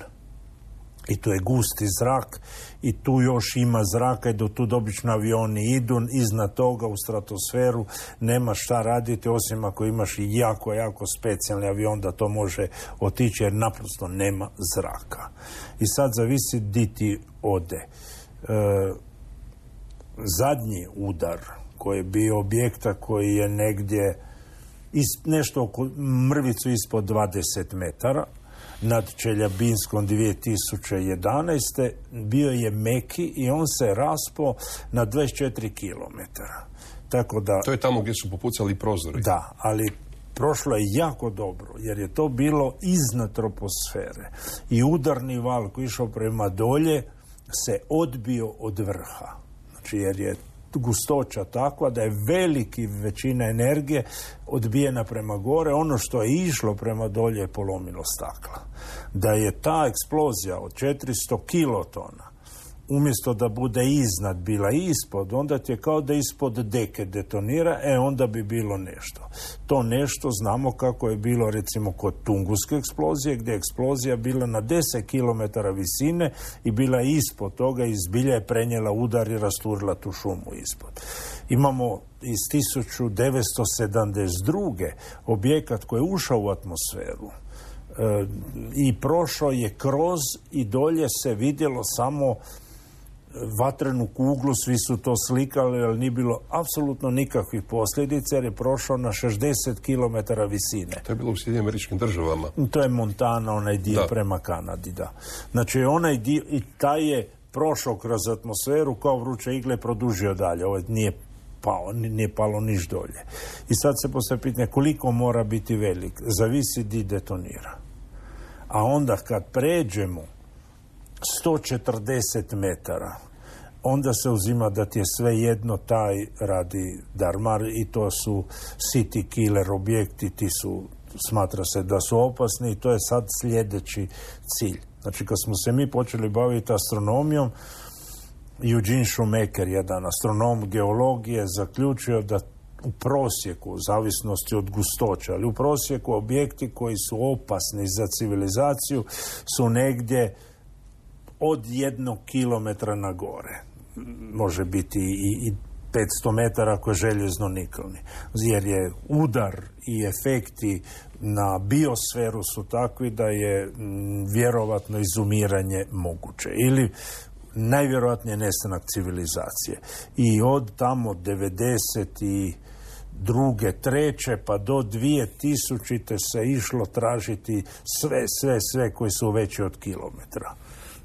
I tu je gusti zrak i tu još ima zraka i do tu obično avioni idu, iznad toga u stratosferu nema šta raditi osim ako imaš i jako, jako specijalni avion da to može otići jer naprosto nema zraka. I sad zavisi di ti ode. E, zadnji udar koji je bio objekta koji je negdje is, nešto oko mrvicu ispod dvadeset metara nad Čeljabinskom dvije tisuće jedanaeste bio je meki i on se raspao na dvadeset četiri kilometara. Tako da, to je tamo gdje su popucali prozori. Da, ali prošlo je jako dobro, jer je to bilo iznad troposfere. I udarni val koji išao prema dolje se odbio od vrha. Znači, jer je gustoća takva da je veliki većina energije odbijena prema gore. Ono što je išlo prema dolje je polomilo stakla. Da je ta eksplozija od četiristo kilotona umjesto da bude iznad, bila ispod, onda ti je kao da ispod deke detonira, e onda bi bilo nešto. To nešto znamo kako je bilo recimo kod Tunguske eksplozije, gdje je eksplozija bila na deset kilometara visine i bila je ispod toga i zbilja je prenijela udar i rasturila tu šumu ispod. Imamo iz tisuću devetsto sedamdeset druge objekat koji je ušao u atmosferu e, i prošao je kroz i dolje se vidjelo samo vatrenu kuglu, svi su to slikali, ali nije bilo apsolutno nikakvih posljedica jer je prošao na šezdeset kilometara visine. To je bilo u Sjedinjenim Američkim Državama. To je Montana, onaj dio da. Prema Kanadi, da. Znači, onaj dio, i taj je prošao kroz atmosferu kao vruće igle, produžio dalje. Ovo nije pao, nije palo niš dolje. I sad se postavlja pitanje koliko mora biti velik. Zavisi di detonira. A onda kad pređemo sto četrdeset metara, onda se uzima da ti je sve jedno taj radi Darmar i to su city killer objekti, ti su, smatra se da su opasni i to je sad sljedeći cilj. Znači kad smo se mi počeli baviti astronomijom, Eugene Shoemaker, jedan astronom geologije, zaključio da u prosjeku, u zavisnosti od gustoća, ali u prosjeku objekti koji su opasni za civilizaciju su negdje od jednog kilometra na gore. Može biti i, i petsto metara ako je željezno nikelni. Jer je udar i efekti na biosferu su takvi da je m, vjerovatno izumiranje moguće. Ili najvjerojatnije nestanak civilizacije. I od tamo devedeset druge, treće pa do dvije tisućite se išlo tražiti sve, sve, sve koji su veći od kilometra.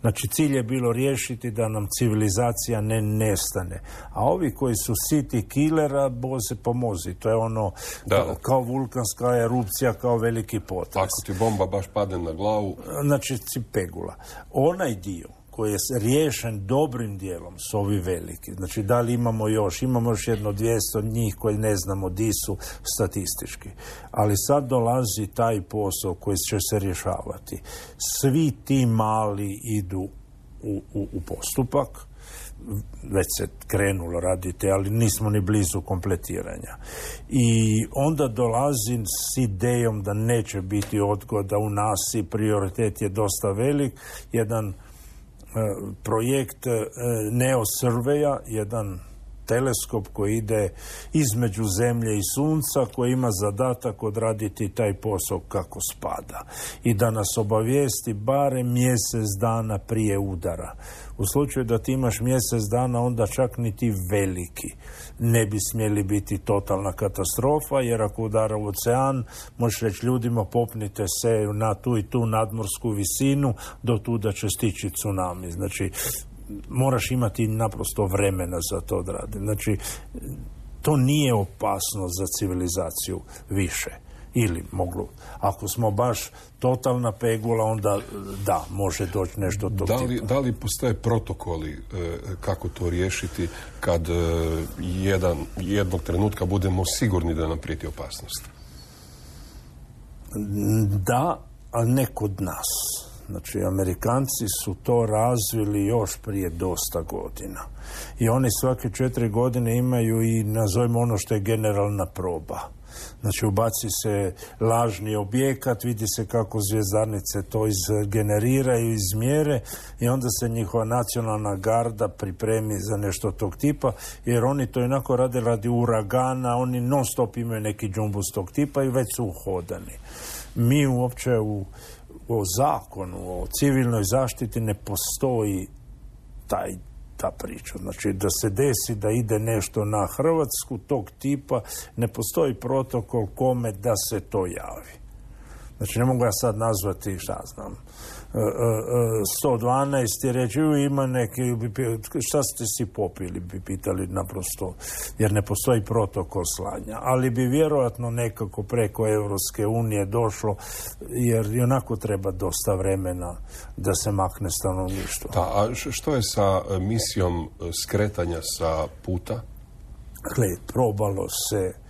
Znači, cilj je bilo riješiti da nam civilizacija ne nestane. A ovi koji su city killera, Bože pomozi. To je ono da. Kao, kao vulkanska erupcija, kao veliki potres. Ako ti bomba baš padne na glavu... Znači, cipegula. Onaj dio koji je riješen dobrim dijelom su ovi veliki. Znači, da li imamo još? Imamo još jedno dvjesto njih koji ne znamo di su statistički. Ali sad dolazi taj posao koji će se rješavati. Svi ti mali idu u, u, u postupak. Već se krenulo raditi, ali nismo ni blizu kompletiranja. I onda dolazim s idejom da neće biti odgoda u nasi, prioritet je dosta velik. Jedan projekt Neo Surveya, jedan teleskop koji ide između Zemlje i Sunca, koji ima zadatak odraditi taj posao kako spada i da nas obavijesti barem mjesec dana prije udara. U slučaju da ti imaš mjesec dana, onda čak ni ti veliki ne bi smjeli biti totalna katastrofa, jer ako udara u ocean, možeš reći ljudima popnite se na tu i tu nadmorsku visinu, do tu da će stići tsunami. Znači, moraš imati naprosto vremena za to odraditi. Znači, to nije opasno za civilizaciju više. Ili moglo, ako smo baš totalna pegula, onda da, može doći nešto tog da li, tipa. da li postoje protokoli e, kako to riješiti kad e, jedan, jednog trenutka budemo sigurni da nam prijeti opasnost? Da, ali ne kod nas. Znači, Amerikanci su to razvili još prije dosta godina. I oni svake četiri godine imaju i, nazovimo ono što je generalna proba. Znači, ubaci se lažni objekat, vidi se kako zvjezdarnice to izgeneriraju, izmjere i onda se njihova nacionalna garda pripremi za nešto tog tipa, jer oni to jednako rade radi uragana, oni non stop imaju neki džumbus tog tipa i već su uhodani. Mi uopće u, u zakonu o civilnoj zaštiti ne postoji taj ta priča. Znači, da se desi da ide nešto na Hrvatsku tog tipa, ne postoji protokol kome da se to javi. Znači, ne mogu ja sad nazvati, šta znam, sto dvanaest i reći, ima neki, šta ste si popili, bi pitali naprosto, jer ne postoji protokol slanja. Ali bi vjerojatno nekako preko Europske unije došlo, jer i onako treba dosta vremena da se makne stanovništvo. Da, a što je sa misijom skretanja sa puta? Gle, probalo se,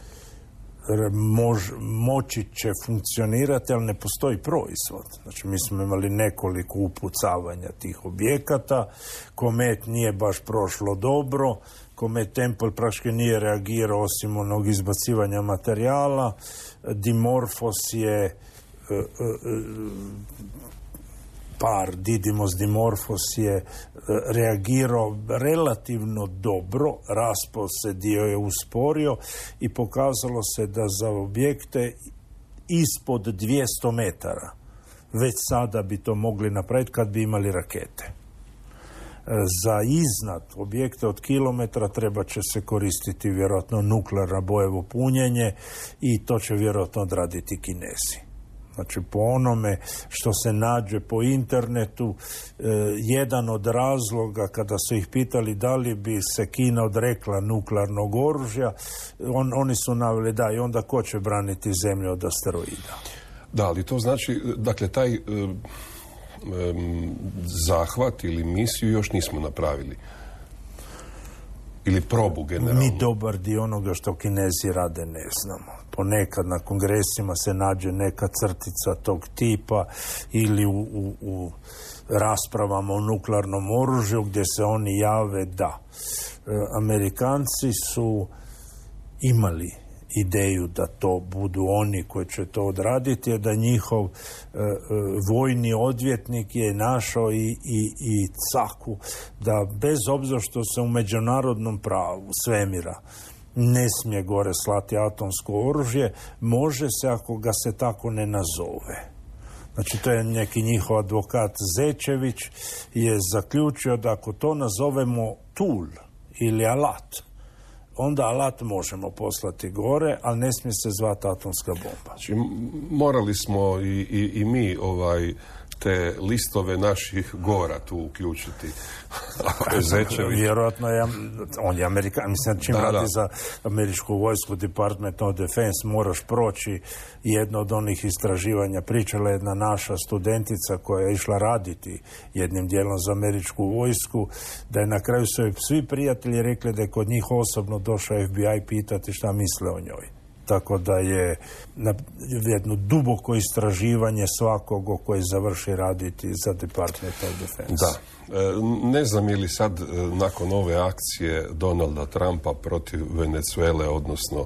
Mož, moći će funkcionirati, ali ne postoji proizvod. Znači, mi smo imali nekoliko upucavanja tih objekata, Komet nije baš prošlo dobro, Komet Temple praktički nije reagirao osim onog izbacivanja materijala, Dimorphos je uh, uh, par Didymos Dimorphos je reagirao relativno dobro, raspao se, dio je usporio i pokazalo se da za objekte ispod dvjesto metara već sada bi to mogli napraviti kad bi imali rakete. Za iznad objekte od kilometra treba će se koristiti vjerojatno nuklearno bojevo punjenje i to će vjerojatno odraditi Kinezi. Znači, po onome što se nađe po internetu, eh, jedan od razloga kada su ih pitali da li bi se Kina odrekla nuklearnog oružja, on, oni su naveli da, i onda ko će braniti zemlju od asteroida. Da, ali to znači, dakle, taj eh, eh, zahvat ili misiju još nismo napravili. Ili probu generalno. Mi dobar dio onoga što Kinezi rade ne znamo. Ponekad na kongresima se nađe neka crtica tog tipa ili u, u, u raspravama o nuklearnom oružju gdje se oni jave da. E, Amerikanci su imali ideju da to budu oni koji će to odraditi, je da njihov e, e, vojni odvjetnik je našao i, i, i caku da bez obzira što se u međunarodnom pravu svemira ne smije gore slati atomsko oružje, može se ako ga se tako ne nazove. Znači, to je neki njihov advokat Zečević je zaključio da ako to nazovemo tool ili alat, onda alat možemo poslati gore, ali ne smije se zvati atomska bomba. Znači, morali smo i, i, i mi ovaj, te listove naših gora tu uključiti. Ako je Zečević. Vjerojatno je, on je Amerikan, mislim, čim da, radi da. za američku vojsku, Department of Defense, moraš proći jedno od onih istraživanja. Pričala jedna naša studentica koja je išla raditi jednim dijelom za američku vojsku, da je na kraju su svi prijatelji rekli da je kod njih osobno došao F B I pitati šta misle o njoj. Tako da je na jedno duboko istraživanje svakog koji završi raditi za Department of Defense. Da. E, ne znam je li sad nakon ove akcije Donalda Trumpa protiv Venezuele, odnosno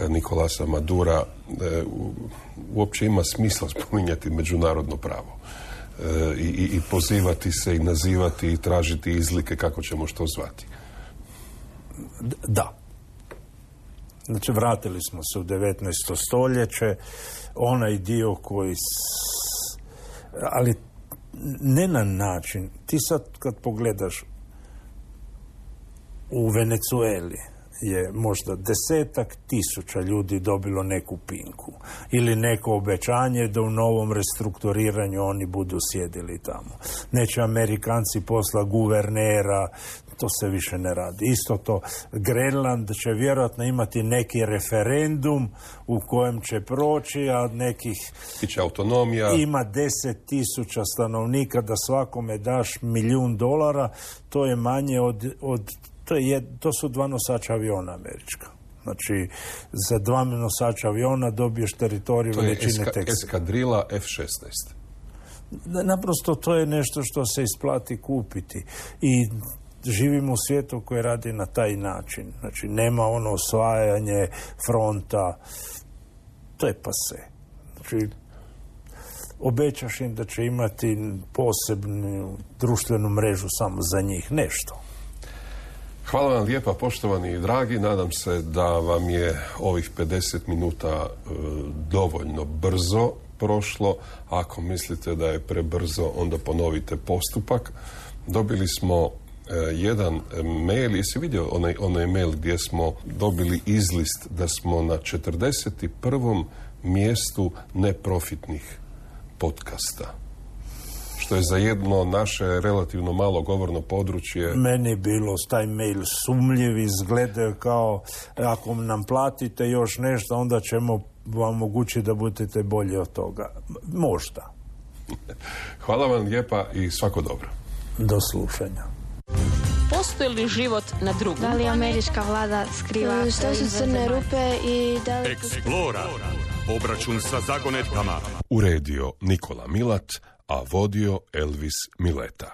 Nikolasa Madura, e, uopće ima smisla spominjati međunarodno pravo. E, i, i pozivati se i nazivati i tražiti izlike kako ćemo što zvati. Da. Znači, vratili smo se u devetnaesto stoljeće, onaj dio koji... S... Ali ne na način. Ti sad kad pogledaš u Venezueli je možda desetak tisuća ljudi dobilo neku pinku ili neko obećanje da u novom restrukturiranju oni budu sjedili tamo. Neće Amerikanci posla guvernera, to se više ne radi. Isto to, Grenland će vjerojatno imati neki referendum u kojem će proći, a nekih... Biće autonomija. Ima deset tisuća stanovnika, da svakome daš milijun dolara, to je manje od... od to, je, to su dva nosača aviona američka. Znači, za dva nosača aviona dobiješ teritoriju veličine Teksa. To je eskadrila F šesnaest. Naprosto to je nešto što se isplati kupiti. I živimo u svijetu koji radi na taj način. Znači, nema ono osvajanje fronta. To je pase. Znači, obećaš im da će imati posebnu društvenu mrežu samo za njih. Nešto. Hvala vam lijepa, poštovani i dragi. Nadam se da vam je ovih pedeset minuta e, dovoljno brzo prošlo. Ako mislite da je prebrzo, onda ponovite postupak. Dobili smo e, jedan mail. Jesi vidio onaj, onaj mail gdje smo dobili izlist da smo na četrdeset prvom mjestu neprofitnih podcasta? Što je za jedno naše relativno malo govorno područje. Meni je bilo taj mail sumljiv, izgledaju kao ako nam platite još nešto, onda ćemo vam omogućiti da budete bolji od toga. Možda. Hvala vam lijepa i svako dobro. Do slušanja. Postoji li život na drugom? Da li američka vlada skriva? Što su crne rupe i da li... Eksplora. Obračun sa zagonetkama. Uredio Nikola Milat, a vodio Elvis Mileta.